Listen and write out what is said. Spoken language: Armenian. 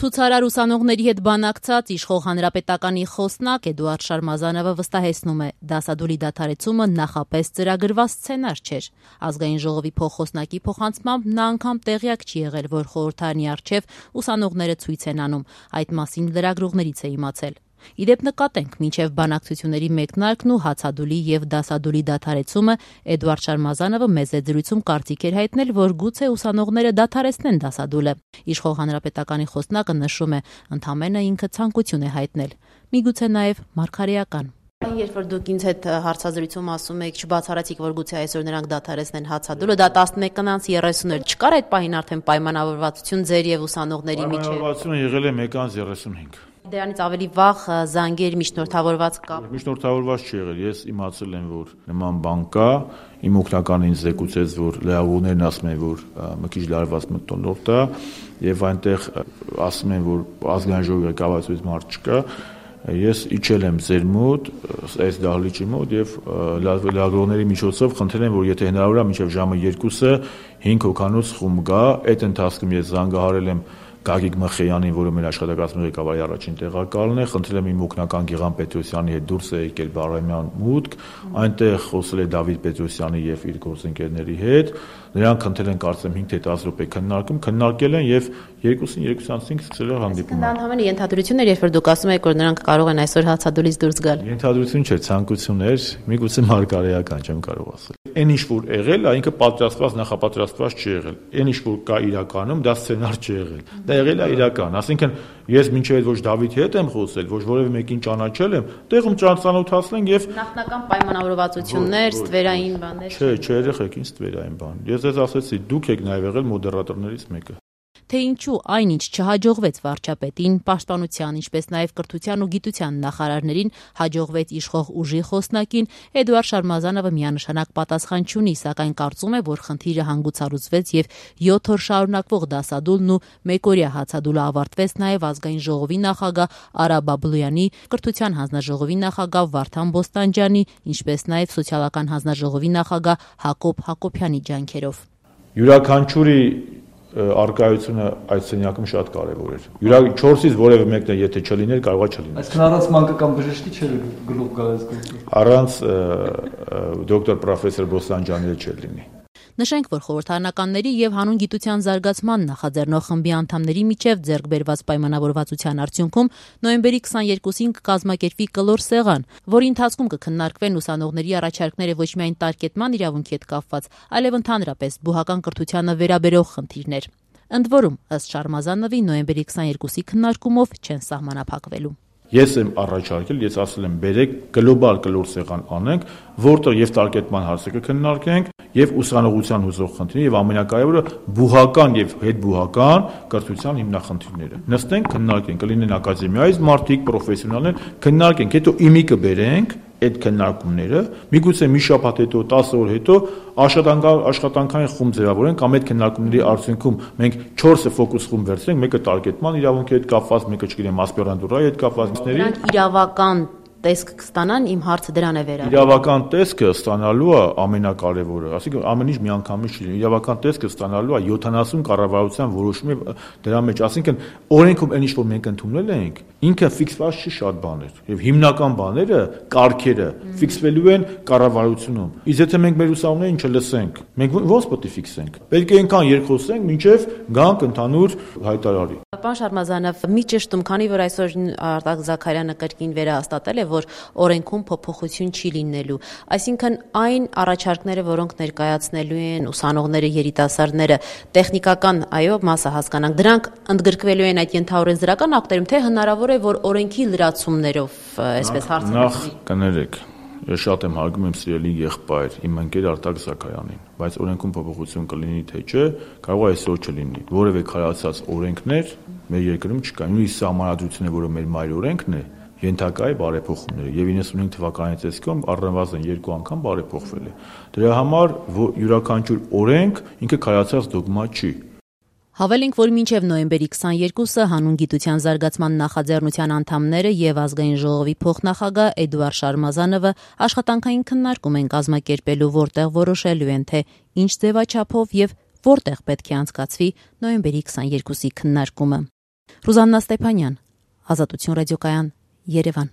Ցուցարար ուսանողների հետ բանակցած իշխող հանրապետականի խոսնակ Էդուարդ Շարմազանովը վստահեցնում է, դասադուլի դադարեցումը նախապես ծրագրված սցենար չէր։ Ազգային ժողովի փոխխոսնակի փոխանցմամբ նա անգամ տեղյակ չի եղել, որ խորհրդարանի առջև ուսանողները ցույց են անում, այդ մասին լրագրողներից է իմացել։ Իդեպ նկատենք, մինչև բանակցությունների մեկնարկն ու հացադուլի եւ դասադուլի դադարեցումը Էդուարդ Շարմազանովը մեծ զրույցում կարծիք էր հայտնել, որ գուցե ուսանողները դադարեցնեն դասադուլը։ Իշխող հանրապետականի խոսնակը նշում է, ընդամենը ինքը ցանկություն է հայտնել, միգուցե նաեւ մարգարեական։ Երբ որ դուք ինձ հետ հարցազրույցում ասում եք, չբացառացիք, որ գուցե այսօր նրանք դադարեցնեն հացադուլը, դա 11:30 էր, չկար այդ պահին արդեն պայմանավորվածություն ձեր եւ ուսանողների միջեւ։ Պայմանավորվածությունը եղել է 1:35։ Դրանից ավելի վաղ զանգեր միջնորդավորված կապ։ Միջնորդավորված չի եղել, ես իմացել եմ, որ նման բան կա, իմ օգնականն ինձ զեկուցեց, որ լրագրողներն ասում են, որ մի քիչ լարված մթնոլորտ է, եւ այնտեղ ասում են, որ ազգային ժողովի ղեկավարությունից մարդ չկա։ Ես իջել եմ ձեր մոտ, այս դահլիճի մոտ եւ լրագրողների միջոցով խնդրել եմ, որ եթե հնարավոր է մինչեւ ժամը 2-ը 5 հոգանոց խումբ գա, այդ ընթացքում ես զանգահարել եմ Գագիկ Մխեյանին, որը մեր աշխատակազմի ղեկավարի առաջին տեղակալն է, խնդրել եմ իմ օգնական Գիղան Պետրոսյանի հետ դուրս եկել Բաղրամյան մուտք, այնտեղ խոսել է Դավիթ Պետրոսյանի եւ իր գործընկերների հետ, նրանք խնդրել են կարծեմ 5 թե 10 րոպե քննարկել են եւ 2:35 սկսել է հանդիպումը։ Դա ընդհանրապես ենթադրություն էր, երբ որ դուք ասում եք, որ նրանք կարող են այսօր հացադուլից դուրս գալ։ Ենթադրություն չէ, ցանկություն էր, միգուցե մարգարեական, չեմ կարող ասել։ Այն ինչ որ եղել, ինքը պատրաստված, նախապատրաստված չի եղել։ Այն ինչ որ կա իրականում, դա սցենար չի եղել։ Դա եղել է իրական, ասինքն ես մինչև այդ ոչ Դավիթի հետ եմ խոսել, ոչ որևէ մեկին ճանաչել եմ, տեղում ծանոթացնենք եւ նախնական պայմանավորվածություններ, ստվերային բաներ։ Չէ, երեխեք, ինչ ստվերային բան։ Ես ձեզ ասեցի, դուք եք նաեւ եղել մոդերատորներից մեկը։ Թե ինչու այնինչ չհաջողվեց վարչապետին, պաշտպանության, ինչպես նաև կրթության ու գիտության նախարարներին, հաջողվեց իշխող ուժի խոսնակին, Էդուարդ Շարմազանովը միանշանակ պատասխան չունի, սակայն կարծում է, որ խնդիրը հանգուցալուծվեց եւ 7 օր շարունակվող դասադուլն ու մեկօրյա հացադուլը ավարտվեց նաև ազգային ժողովի նախագահ Արա Բաբլոյանի, կրթության հանձնաժողովի նախագահ Վարդան Բոստանջյանի, ինչպես նաև սոցիալական հանձնաժողովի նախագահ Հակոբ Հակոբյանի ջանքերով։ Յուրաքանչյուրի արկայությունը այդ սենյակում շատ կարևոր էր։ 4-ից որևէ մեկն եթե չլիներ, կարող է չլիներ։ Այսինքն առանց մանկական բժշկի չէր գլուխ գալիս գործը։ Առանց դոկտոր պրոֆեսոր Բոստանջյանի չէր լինի։ Նշենք, որ խորհրդարանականների եւ հանուն գիտության զարգացման նախաձեռնող խմբի անդամների միջև ձեռք բերված պայմանավորվածության արդյունքում նոյեմբերի 22-ին կկազմակերպվի կլոր սեղան, որի ընթացքում կքննարկվեն ուսանողների առաջարկները ոչ միայն տարկետման իրավունքի հետ կապված, այլև ընդհանրապես բուհական կրթությանը վերաբերող խնդիրներ։ Ընդ որում, ըստ Շարմազանովի, նոյեմբերի 22-ի քննարկումով չեն սահմանափակվելու։ Ես եմ առաջարկել, ես ասել եմ, բերեք գլոբալ կլոր սեղան անենք, որտեղ եւ տարկետման հարցը կքննարկենք, եւ ուսանողության հուզող խնդիրները եւ ամենակարևորը բուհական եւ հետբուհական կրթության հիմնախնդիրները։ Նստենք, քննարկենք, կլինեն ակադեմիայից մարդիկ, պրոֆեսիոնալներ, քննարկենք, հետո իմի կբերենք այդ քննարկումները, միգուցե մի շաբաթ հետո, 10 օր հետո աշխատանքային խումբ ձևավորենք, կամ այդ քննարկումների արդյունքում մենք 4 ֆոկուս խումբ վերցնենք, մեկը տարկետման իրավունքի հետ կապված, մեկը չգիտեմ, ասպիրանտուրայի հետ կապվածների։ Նրանք իրավական տեսք կստանան, իմ հարցը դրան է վերաբերում։ Իրավական տեսքը ստանալու է ամենակարևորը, ասիկա ամեն ինչ միանգամից չի լինի։ Իրավական տեսքը ստանալու է 70 կառավարության որոշումի դրա մեջ, ասինքն օրենքում այն ինչ որ մենք ընդունել ենք, ինքը ֆիքսված չի շատ բաներ, եւ հիմնական բաները, կարգերը ֆիքսվելու են կառավարությունում։ Իսկ եթե մենք մեր ուսանողներին չլսենք, մենք ո՞նց պետք է ֆիքսենք։ Պետք է այնքան երկխոսենք, մինչեւ գանք ընդհանուր հայտարարի։ Պարոն Շարմազանով, մի ճշտում, քանի որ այսօր Արտակ Զաքարյանը կրկին վերահաստատել է, որ օրենքում փոփոխություն չի լինելու, այսինքն այն առաջարկները, որոնք ներկայացնելու են ուսանողները, երիտասարդները, տեխնիկական, այո, մասը հասկանանք, դրանք ընդգրկվելու են այդ ենթաօրենսդրական ակտերում, թե հնարավոր է, որ օրենքի լրացումներով, այսպես հարցը։ Նախ կներեք, ես շատ եմ հարգում իմ սիրելի եղբայր, իմ ընկեր Արտակ Զաքարյանին, բայց օրենքում փոփոխություն կլինի թե չէ, կարող է այսօր չլինի։ Որևէ քարացած օրենքներ մեր երկրում չկա։ Նույնիսկ սահմանադրությունը, որը մեր մայր օրենքն է, ենթակա է բարեփոխումների եւ 95 թվականի ցեսկում առնվազն 2 անգամ բարեփոխվել է։ Դրա համար յուրաքանչյուր օրենք ինքը քարացած դոգմա չի։ Հավելենք, որ մինչև նոյեմբերի 22-ը հանուն գիտության զարգացման նախաձեռնության անդամները եւ ազգային ժողովի փոխնախագահ Էդուարդ Շարմազանովը աշխատանքային քննարկում են կազմակերպելու, որտեղ որոշելու են, թե ինչ ձևաչափով եւ որտեղ պետք է անցկացվի նոյեմբերի 22-ի քննարկումը։ Ռուզաննա Ստեփանյան, Ազատություն ռադիոկայան, Երևան։